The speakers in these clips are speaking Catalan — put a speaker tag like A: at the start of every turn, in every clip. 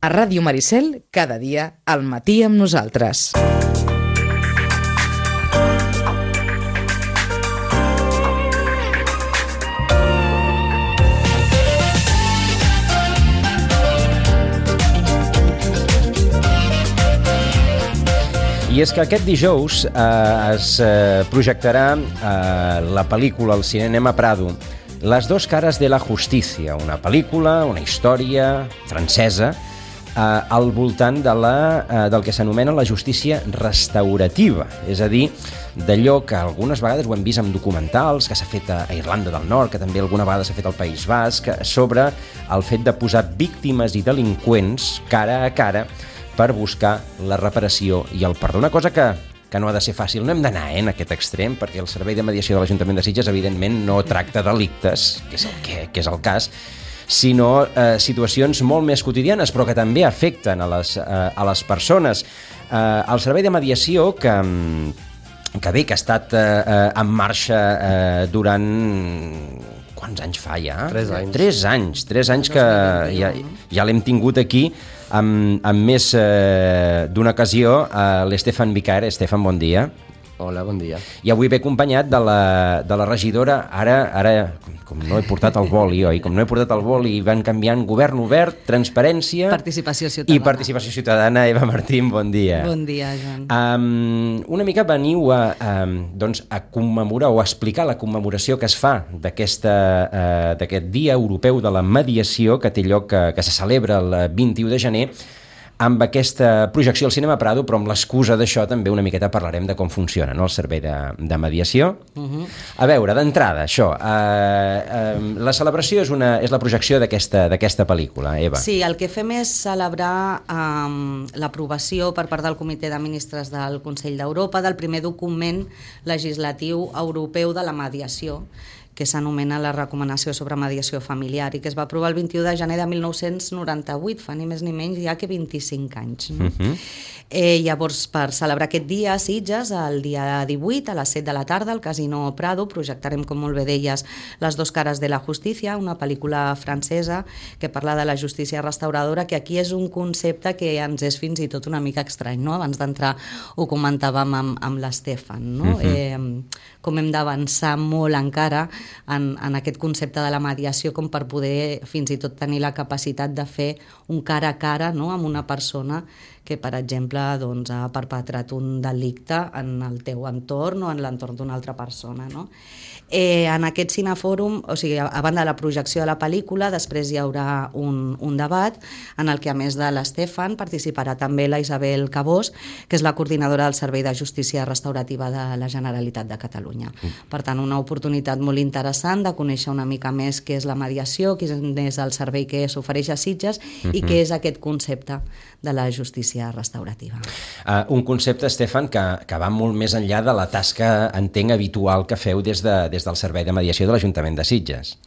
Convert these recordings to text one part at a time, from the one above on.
A: A Ràdio Maricel, cada dia, al matí amb nosaltres.
B: I és que aquest dijous es projectarà la pel·lícula al Cinema Prado, Les dos caras de la justicia, una pel·lícula, una història francesa, al voltant del que s'anomena la justícia restaurativa, és a dir, d'allò que algunes vegades ho hem vist en documentals, que s'ha fet a Irlanda del Nord, que també alguna vegada s'ha fet al País Basc, sobre el fet de posar víctimes i delinqüents cara a cara per buscar la reparació i el perdó. Una cosa que no ha de ser fàcil. No hem d'anar en aquest extrem, perquè el Servei de Mediació de l'Ajuntament de Sitges, evidentment, no tracta delictes, que és el cas, sinó situacions molt més quotidianes, però que també afecten a les persones. El Servei de Mediació, que ha estat en marxa durant... Quants anys fa ja?
C: 3 anys.
B: 3 anys que ja l'hem tingut aquí amb més d'una ocasió, l'Estefan Vicar. Estefan, bon dia.
C: Hola, bon dia.
B: I avui ve acompanyat de la regidora, ara com no he portat el boli, oi? Com no he portat el boli, van canviant govern obert, transparència...
D: Participació ciutadana.
B: I participació ciutadana. Eva Martín, bon dia.
D: Bon dia, Joan.
B: Una mica veniu a commemorar o a explicar la commemoració que es fa d'aquest Dia Europeu de la Mediació, que té lloc, que se celebra el 21 de gener, amb aquesta projecció al Cinema Prado, però amb l'excusa d'això també una miqueta parlarem de com funciona, no?, el servei de mediació. A veure, d'entrada, això, la celebració és la projecció d'aquesta pel·lícula, Eva.
D: Sí, el que fem és celebrar l'aprovació per part del Comitè de Ministres del Consell d'Europa del primer document legislatiu europeu de la mediació, que s'anomena la Recomanació sobre Mediació Familiar i que es va aprovar el 21 de gener de 1998, fa ni més ni menys ja que 25 anys. No? Llavors, per celebrar aquest dia a Sitges, el dia 18 a les 7 de la tarda al Casino Prado, projectarem, com molt bé deies, Les dos caras de la justicia, una pel·lícula francesa que parla de la justícia restauradora, que aquí és un concepte que ens és fins i tot una mica estrany, no? Abans d'entrar ho comentàvem amb l'Estefan, no? Com hem d'avançar molt encara en aquest concepte de la mediació, com per poder fins i tot tenir la capacitat de fer un cara a cara, no?, amb una persona que, per exemple, doncs, ha perpetrat un delicte en el teu entorn o en l'entorn d'una altra persona, no? En aquest cinefòrum, o sigui, a banda de la projecció de la pel·lícula, després hi haurà un debat en el que, a més de l'Estefan, participarà també la Isabel Cabós, que és la coordinadora del Servei de Justícia Restaurativa de la Generalitat de Catalunya. Per tant, una oportunitat molt interessant de conèixer una mica més què és la mediació, quin és el servei que s'ofereix a Sitges i què és aquest concepte de la justícia restaurativa.
B: Un concepte, Estefan, que va molt més enllà de la tasca, entenc, habitual que feu des del Servei de Mediació de l'Ajuntament de Sitges.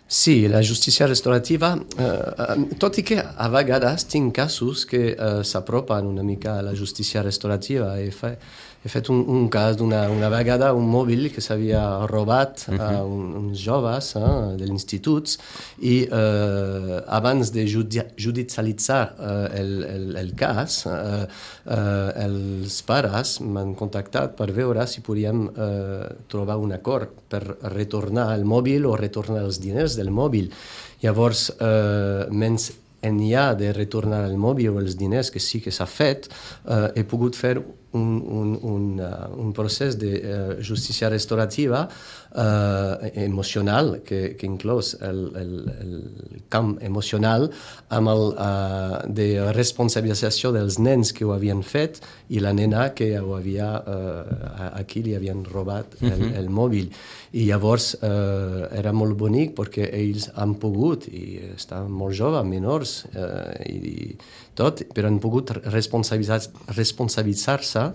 C: Sí, la justícia restaurativa, tot i que a vegades tinc casos que s'apropen una mica a la justícia restaurativa. He fet un cas d'una vegada un mòbil que s'havia robat a uns joves de l'institut i abans de judicialitzar el cas, els pares m'han contactat per veure si podíem trobar un acord per retornar el mòbil o retornar els diners del mòbil. Llavors, menys enllà de retornar el mòbil o els diners, que sí que s'ha fet, he pogut fer un procés de justícia restaurativa emocional, que inclòs el camp emocional amb de responsabilització dels nens que ho havien fet i la nena que ho havia, a qui li havien robat el mòbil. I llavors era molt bonic perquè ells han pogut, i estaven molt joves, menors i tot, però han pogut responsabilitzar-se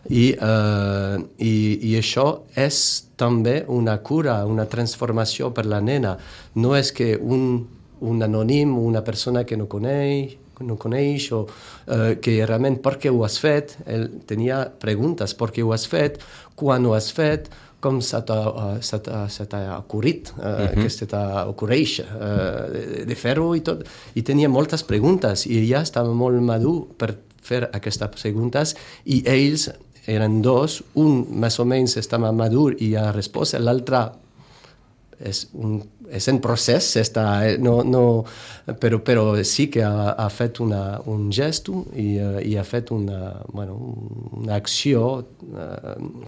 C: i això és també una cura, una transformació per la nena. No és que un anònim, una persona que no coneix, no coneix, o que realment per què ho has fet, ell tenia preguntes, per què ho has fet, quan ho has fet, com se t'ha ocorrit, que se t'ocorreix de fer-ho i tot. I tenia moltes preguntes i ella estava molt madur per fer aquestes preguntes i ells eren dos, un més o menys estava madur i ha respost, l'altre és en procés, però sí que ha fet un gest i ha fet una acció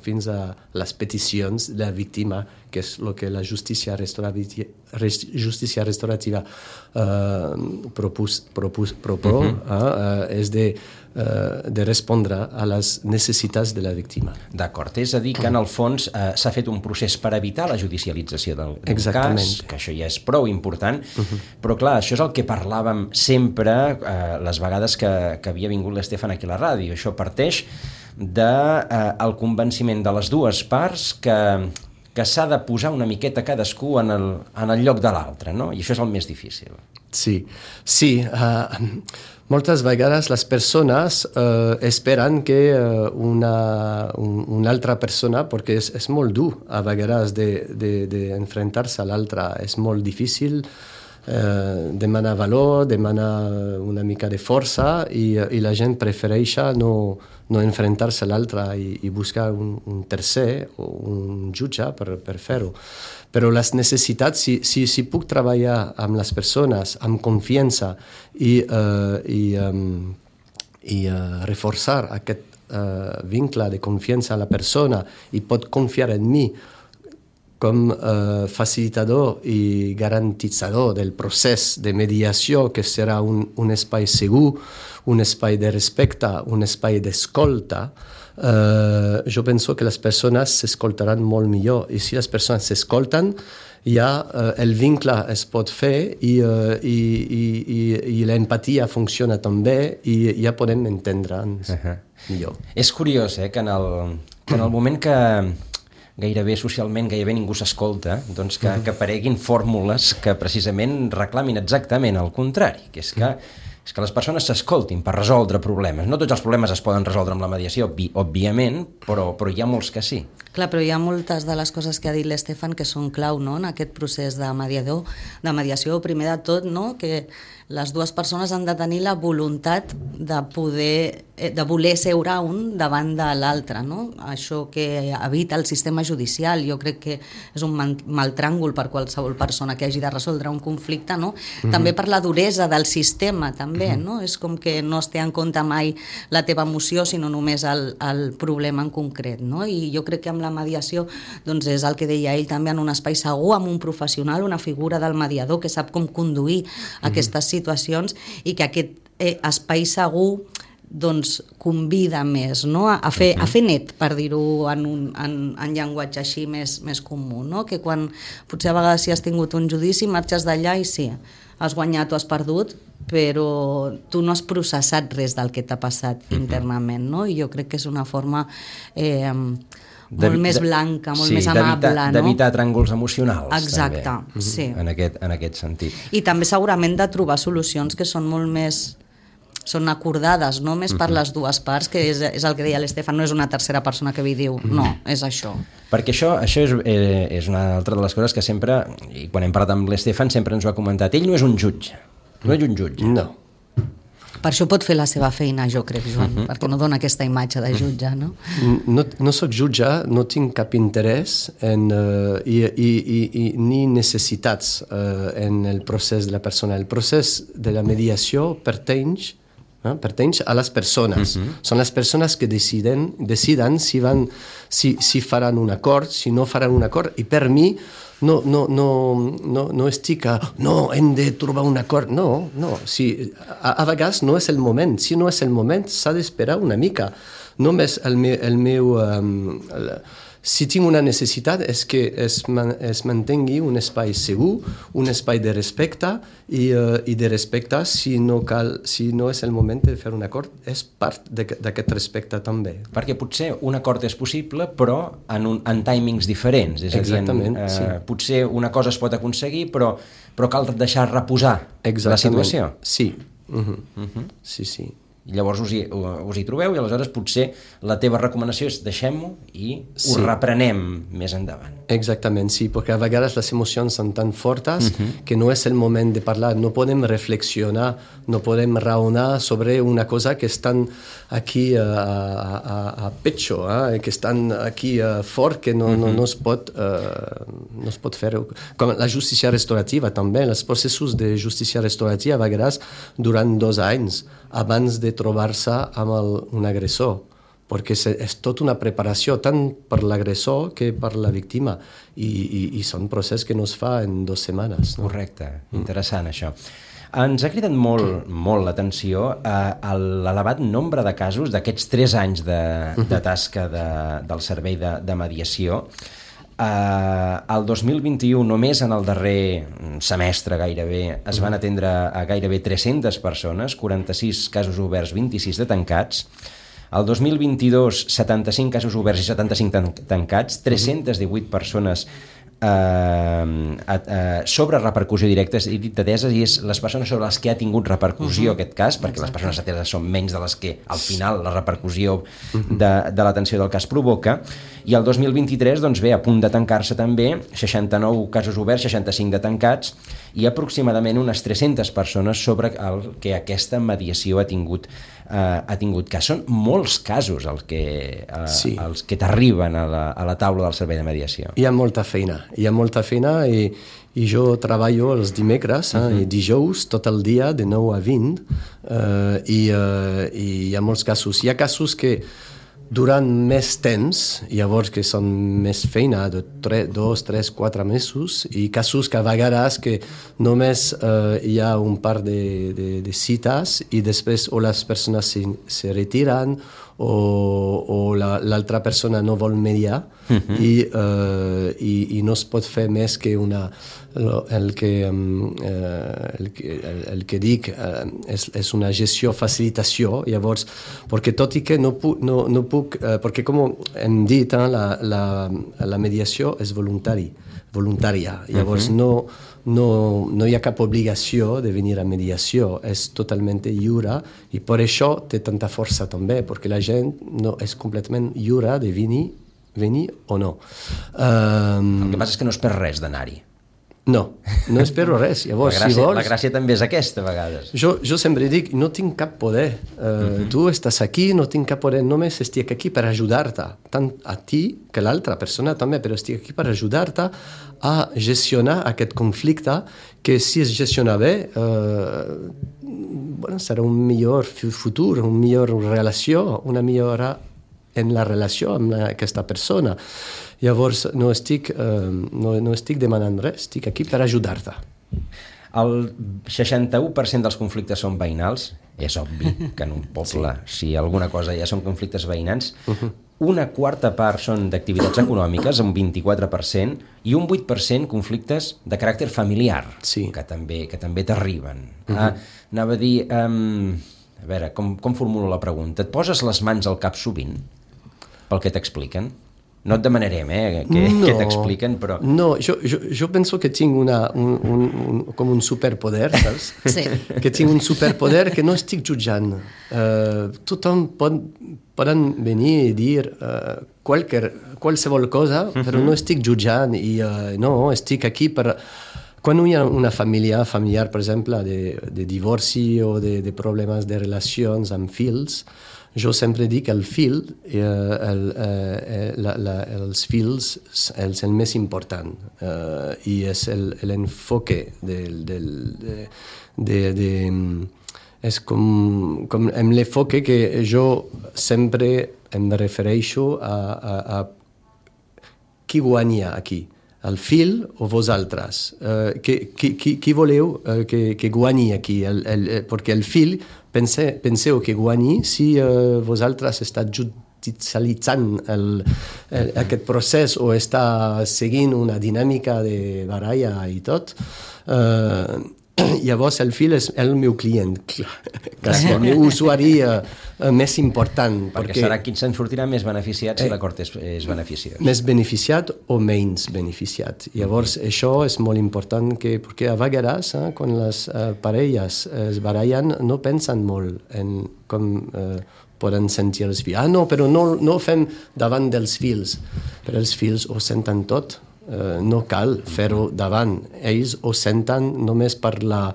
C: fins a les peticions de la víctima, que és el que la justícia restaurativa és de respondre a les necessitats de la víctima.
B: D'acord, és a dir que en el fons s'ha fet un procés per evitar la judicialització del cas, que això ja és prou important, però clar, això és el que parlàvem sempre les vegades que havia vingut l'Estefan aquí a la ràdio. Això parteix del convenciment de les dues parts que s'ha de posar una miqueta cadascú en el lloc de l'altre, no? I això és el més difícil.
C: Sí. Moltes vegades les persones esperen que una altra persona, perquè és molt dur a vegades d'enfrontar-se a l'altra, és molt difícil, demana valor, demana una mica de força i la gent prefereix no enfrontar-se a l'altre i buscar un tercer o un jutge per fer-ho. Però les necessitats, si puc treballar amb les persones amb confiança i reforçar aquest vincle de confiança a la persona i pot confiar en mi com facilitador i garantitzador del procés de mediació, que serà un espai segur, un espai de respecte, un espai d'escolta, jo penso que les persones s'escoltaran molt millor. I si les persones s'escolten, ja el vincle es pot fer i l'empatia funciona també i ja podem entendre'ns millor.
B: És curiós que en el moment que gairebé socialment gairebé ningú s'escolta, doncs que apareguin fórmules que precisament reclamin exactament el contrari, que és que les persones s'escoltin per resoldre problemes. No tots els problemes es poden resoldre amb la mediació, òbviament, però hi ha molts que sí.
D: Clar, però hi ha moltes de les coses que ha dit l'Estefan que són clau, no?, en aquest procés de mediació. Primer de tot, no?, que les dues persones han de tenir la voluntat de voler seure un davant de l'altre, no? Això que evita el sistema judicial, jo crec que és un mal tràngol per qualsevol persona que hagi de resoldre un conflicte, no? També per la duresa del sistema, també, no? És com que no es té en compte mai la teva emoció, sinó només el problema en concret, no? I jo crec que amb la mediació, doncs és el que deia ell també, en un espai segur, amb un professional, una figura del mediador que sap com conduir aquestes situacions i que aquest espai segur doncs convida més, no?, a fer net, per dir-ho en llenguatge així més comú, no?, que quan potser a vegades si has tingut un judici marxes d'allà i sí, has guanyat o has perdut, però tu no has processat res del que t'ha passat internament, no?, i jo crec que és una forma molt més blanca, molt més amable, no?
B: D'evitar tràngols emocionals.
D: Exacte,
B: també,
D: sí.
B: En aquest sentit.
D: I també segurament de trobar solucions que són molt més són acordades, no més per les dues parts, que és el que deia l'Estefan, no és una tercera persona que vi diu, no, és això.
B: Perquè això és una altra de les coses que sempre, i quan hem parlat amb l'Estefan, sempre ens ho ha comentat, ell no és un jutge,
C: No.
D: Per això pot fer la seva feina, jo crec, Joan, perquè no dona aquesta imatge de jutge, no?
C: No soc jutge, no tinc cap interès ni necessitats en el procés de la persona. El procés de la mediació pertany a les persones. Són les persones que deciden si faran un acord, si no faran un acord, i per mi no estic hem de trobar un acord. No. A vegades no és el moment. Si no és el moment, s'ha d'esperar una mica. Només si tinc una necessitat és que es mantengui un espai segur, un espai de respecte i de respecte si no és el moment de fer un acord, és part d'aquest respecte també.
B: Perquè potser un acord és possible però en timings diferents, és a dir, potser una cosa es pot aconseguir però cal deixar reposar la situació.
C: Sí, Sí.
B: I llavors us hi trobeu i aleshores potser la teva recomanació és deixem-ho i ho reprenem més endavant.
C: Exactament, sí, perquè a vegades les emocions són tan fortes que no és el moment de parlar, no podem reflexionar, no podem raonar sobre una cosa que estan aquí a pecho, que estan aquí fort, que no es pot fer. Com la justícia restaurativa també, els processos de justícia restaurativa a vegades durant 2 anys abans de trobar-se amb un agressor, perquè és tota una preparació tant per l'agressor que per la víctima i són processos que no es fa en 2 setmanes. No?
B: Correcte, interessant això. Ens ha cridat molt l'atenció l'elevat nombre de casos d'aquests 3 anys de tasca del servei de mediació. El 2021, només en el darrer semestre gairebé, es van atendre a gairebé 300 persones, 46 casos oberts, 26 de tancats. El 2022, 75 casos oberts i 75 tancats, 318 persones sobre repercussió directa i dit ateses, i és les persones sobre les que ha tingut repercussió aquest cas, perquè les persones ateses són menys de les que al final la repercussió de l'atenció del cas provoca. I el 2023, doncs bé, a punt de tancar-se també, 69 casos oberts, 65 de tancats, i aproximadament unes 300 persones sobre el que aquesta mediació ha tingut cas. Són molts casos els que t'arriben a la taula del servei de mediació.
C: Hi ha molta feina i jo treballo els dimecres i dijous tot el dia de 9 a 20 i hi ha molts casos. Hi ha casos que durant més temps, llavors que són més feina de 2, 3, 4 mesos, i casos que a vegades que només hi ha un par de cites i després o les persones se retiren o l'altra persona no vol mediar i no es pot fer més que el que dic és una gestió, facilitació, llavors, perquè tot i que no puc perquè com hem dit, la mediació és voluntària, llavors no hi ha cap obligació de venir a mediació, és totalment lliure i per això té tanta força també, perquè la gent no és completament lliure de venir o no.
B: El que passa és que no es perd res d'anar-hi.
C: No espero res. Llavors,
B: la gràcia també és aquesta, a vegades.
C: Jo sempre dic, no tinc cap poder. Tu estàs aquí, no tinc cap poder, només estic aquí per ajudar-te, tant a ti que l'altra persona també, però estic aquí per ajudar-te a gestionar aquest conflicte que si es gestiona bé serà un millor futur, una millor relació, una millora en la relació amb aquesta persona. Llavors no estic demanant res, estic aquí per ajudar-te.
B: El 61% dels conflictes són veïnals. És obvi que en un poble, si alguna cosa ja són conflictes veïnals, una quarta part són d'activitats econòmiques, un 24%, i un 8% conflictes de caràcter familiar, que també t'arriben. Anava a dir, a veure, com formulo la pregunta? Et poses les mans al cap sovint pel que t'expliquen? No et demanarem què t'expliquen, però...
C: No, jo penso que tinc com un superpoder, saps?
D: Sí.
C: Que tinc un superpoder que no estic jutjant. Tothom poden venir i dir qualsevol cosa, però no estic jutjant i no, estic aquí per... Quan hi ha una família familiar, per exemple, de divorci o de problemes de relacions amb fills, jo sempre dic que el fill, els fills, és el més important i és l'enfoque és com amb l'enfoque que jo sempre em refereixo a qui guanya aquí, el fill o vosaltres, qui voleu que guanyi aquí, perquè el fill penseu que guanyi si vosaltres esteu judicialitzant aquest procés o està seguint una dinàmica de baralla i tot. Llavors el fil és el meu client, quasi el meu usuari més important.
B: Perquè serà qui se'n sortirà més beneficiat si l'acord és beneficiós.
C: Més beneficiat o menys beneficiat. Llavors això és molt important, perquè a vegades quan les parelles es barallen no pensen molt en com poden sentir els fills. No, però no ho fem davant dels fills. Però els fills ho senten tot. No cal fer-ho davant. Ells ho senten només per la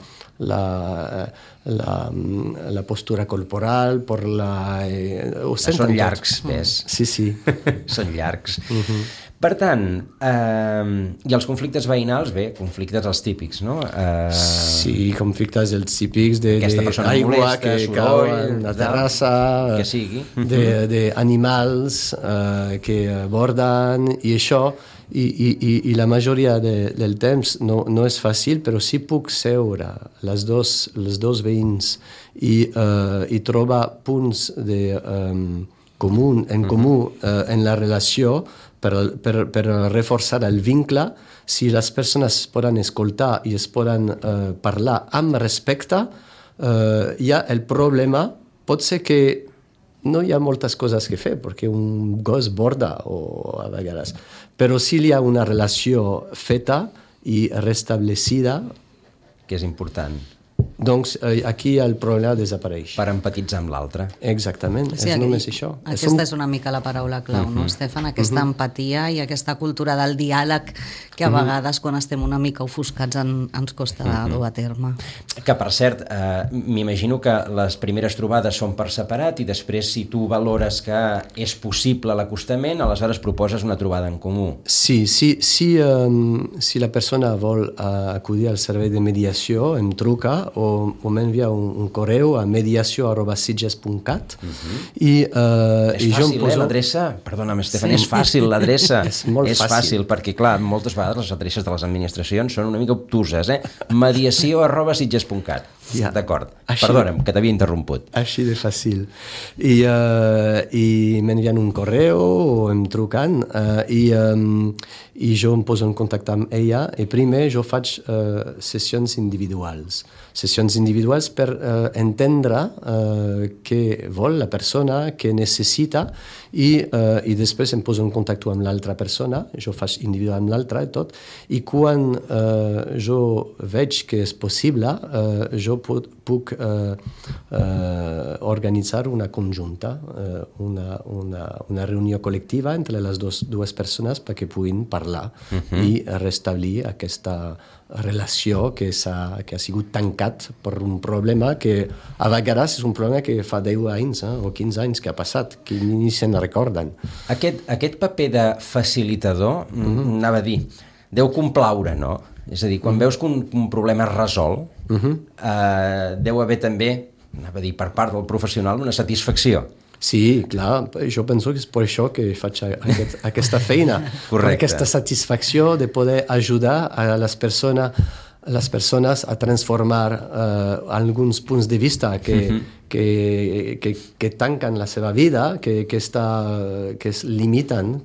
C: postura corporal, per ho senten
B: són llargs, ves.
C: Sí.
B: Són llargs. Per tant, i els conflictes veïnals, conflictes els típics, no?
C: Sí, conflictes els típics d'aigua que cau en la terrassa,
B: que sigui.
C: d'animals que borden i això. I la majoria del temps no és fàcil, però sí puc seure els dos veïns i trobar punts en comú en la relació per reforçar el vincle. Si les persones poden escoltar i es poden parlar amb respecte, hi ha el problema. Pot ser que no hi ha moltes coses que fer, perquè un gos borda a vegades. Però si hi ha una relació feta i restablecida...
B: Que és important.
C: Doncs aquí el problema desapareix.
B: Per empatitzar amb l'altre.
C: Exactament, és només això.
D: Aquesta és una mica la paraula clau, no, Stefan? Aquesta empatia i aquesta cultura del diàleg que a vegades, quan estem una mica ofuscats, ens costa dur a terme.
B: Que, per cert, m'imagino que les primeres trobades són per separat i després, si tu valores que és possible l'acostament, aleshores proposes una trobada en comú.
C: Sí, si la persona vol acudir al servei de mediació, em truca o m'envia un correu a mediació@sitges.cat
B: és fàcil, l'adreça? Perdona'm, Stefan, és fàcil l'adreça.
C: És molt fàcil. És fàcil,
B: perquè, clar, moltes vegades les adreces de les administracions són una mica obtuses, mediació@sitges.cat. D'acord. Perdona'm, que t'havia interromput.
C: Així de fàcil. I m'envien un correu o em truquen i jo em poso en contacte amb ella i primer jo faig sessions individuals. Sessions individuals per entendre què vol la persona, què necessita i després em poso en contacte amb l'altra persona, jo faig individual amb l'altra i tot, i quan jo veig que és possible, jo puc organitzar una conjunta, una reunió col·lectiva entre les dues persones perquè puguin parlar i restablir aquesta relació que ha sigut tancat per un problema que a vegades és un problema que fa 10 anys o 15 anys que ha passat, que ni se'n recorden.
B: Aquest paper de facilitador, anava a dir, deu complaure, no? És a dir, quan veus que un problema es resol, deu haver també, anava a dir, per part del professional, una satisfacció.
C: Sí, clar, jo penso que és per això que faig aquesta feina.
B: Correcte.
C: Per aquesta satisfacció de poder ajudar a les persones a transformar alguns punts de vista que tanquen la seva vida, que es limiten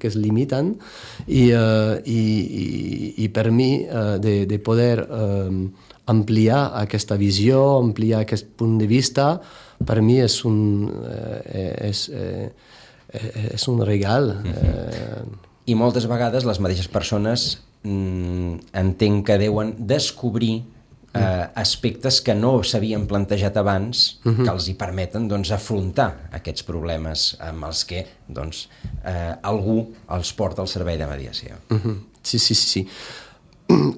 C: i per mi de poder ampliar aquesta visió, ampliar aquest punt de vista, per mi és un regal.
B: I moltes vegades les mateixes persones entenc que deuen descobrir aspectes que no s'havien plantejat abans que els hi permeten afrontar aquests problemes amb els que algú els porta al servei de mediació.
C: Sí.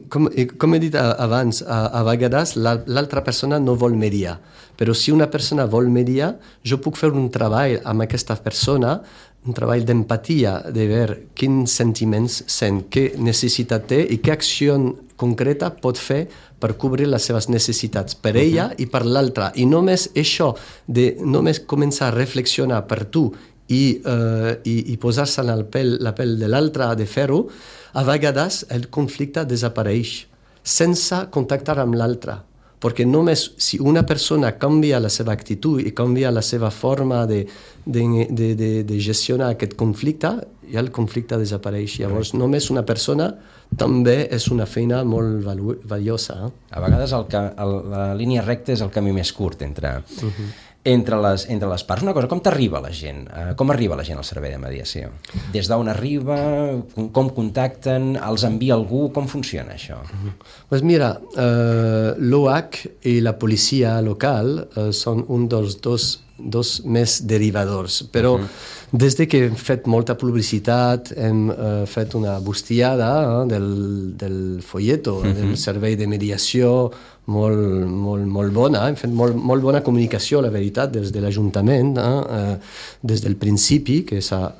C: Com he dit abans, a vegades l'altra persona no vol mediar, però si una persona vol mediar, jo puc fer un treball amb aquesta persona, un treball d'empatia, de veure quins sentiments sent, què necessitat té i què acció concreta pot fer per cobrir les seves necessitats per ella i per l'altra. I només això, de només començar a reflexionar per tu i posar-se en la pell de l'altre de fer-ho, a vegades el conflicte desapareix sense contactar amb l'altre. Perquè només si una persona canvia la seva actitud i canvia la seva forma de gestionar aquest conflicte, ja el conflicte desapareix. Llavors només una persona també és una feina molt valiosa.
B: A vegades la línia recta és el camí més curt entre les parts. Una cosa, com t'arriba la gent? Com arriba la gent al servei de mediació? Des d'on arriba? Com contacten? Els envia algú? Com funciona això?
C: Pues mira, l'OH i la policia local són un dels dos més derivadors, però des que hem fet molta publicitat, hem fet una bustiada del folleto, del servei de mediació, molt bona, hem fet molt bona comunicació, la veritat, des de l'Ajuntament, des del principi que s'ha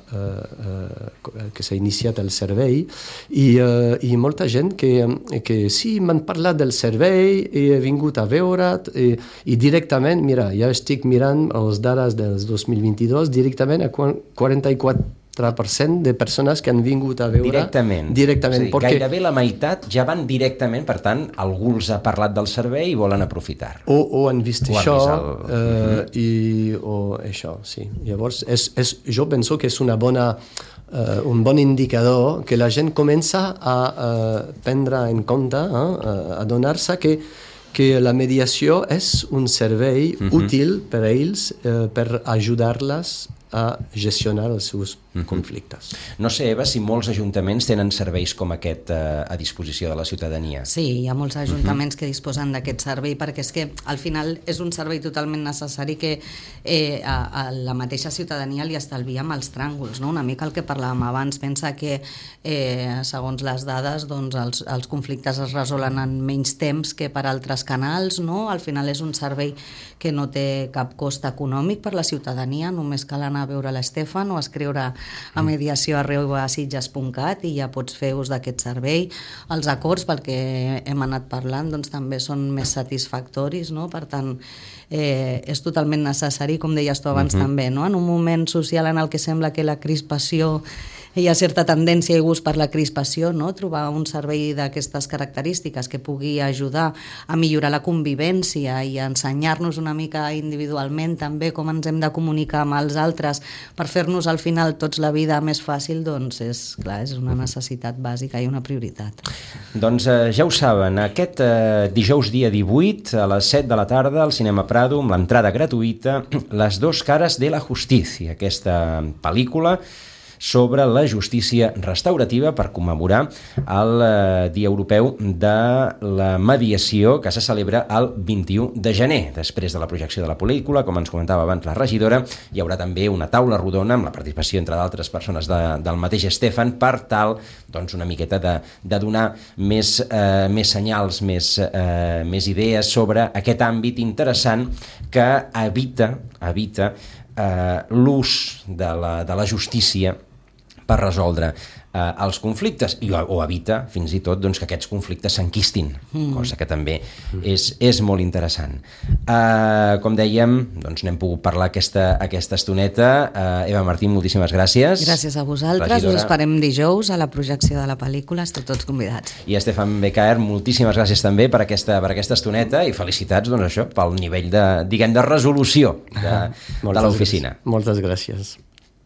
C: iniciat el servei, i molta gent que sí, m'han parlat del servei, he vingut a veure't, i directament, mira, ja estic mirant les dades dels 2022, directament a 44% de persones que han vingut a veure...
B: Directament.
C: Directament.
B: És a dir, perquè... gairebé la meitat ja van directament, per tant, algú els ha parlat del servei i volen aprofitar.
C: O han vist això, o això, sí. Llavors, jo penso que és un bon indicador que la gent comença a prendre en compte, a donar-se que la mediació és un servei útil per a ells, per ajudar-les a gestionar els seus conflictes.
B: No sé, Eva, si molts ajuntaments tenen serveis com aquest a disposició de la ciutadania.
D: Sí, hi ha molts ajuntaments que disposen d'aquest servei, perquè és que al final és un servei totalment necessari que a la mateixa ciutadania li estalvia els tràngols, no? Una mica el que parlàvem abans, pensa que segons les dades doncs, els conflictes es resolen en menys temps que per altres canals, no? Al final és un servei que no té cap cost econòmic per la ciutadania, només cal anar a veure l'Estefan o escriure a mediació@sitges.cat i ja pots fer ús d'aquest servei. Els acords, pel que hem anat parlant, doncs també són més satisfactoris, no? Per tant, és totalment necessari, com deies tu abans també, no? En un moment social en el que sembla que la crispació, hi ha certa tendència i gust per la crispació, no? Trobar un servei d'aquestes característiques que pugui ajudar a millorar la convivència i a ensenyar-nos una mica individualment també com ens hem de comunicar amb els altres per fer-nos al final tots la vida més fàcil, doncs és una necessitat bàsica i una prioritat.
B: Doncs ja ho saben, aquest dijous dia 18 a les 7 de la tarda al Cinema Prado, amb l'entrada gratuïta, Les dos caras de la justicia, aquesta pel·lícula sobre la justícia restaurativa per commemorar el Dia Europeu de la Mediació, que se celebra el 21 de gener. Després de la projecció de la pel·lícula, com ens comentava abans la regidora, hi haurà també una taula rodona amb la participació, entre d'altres persones del mateix Estefan, per tal, doncs, una miqueta de donar més senyals, més idees sobre aquest àmbit interessant que evita l'ús de la justícia per resoldre els conflictes o evita fins i tot doncs, que aquests conflictes s'enquistin, cosa que també és molt interessant. Com dèiem, doncs n'hem pogut parlar aquesta estoneta. Eva Martín, moltíssimes gràcies.
D: Gràcies a vosaltres, regidora. Us esperem dijous a la projecció de la pel·lícula, esteu tots convidats.
B: I Estefan Becaer, moltíssimes gràcies també per aquesta estoneta i felicitats doncs, això pel nivell de resolució de l'oficina.
C: Moltes gràcies.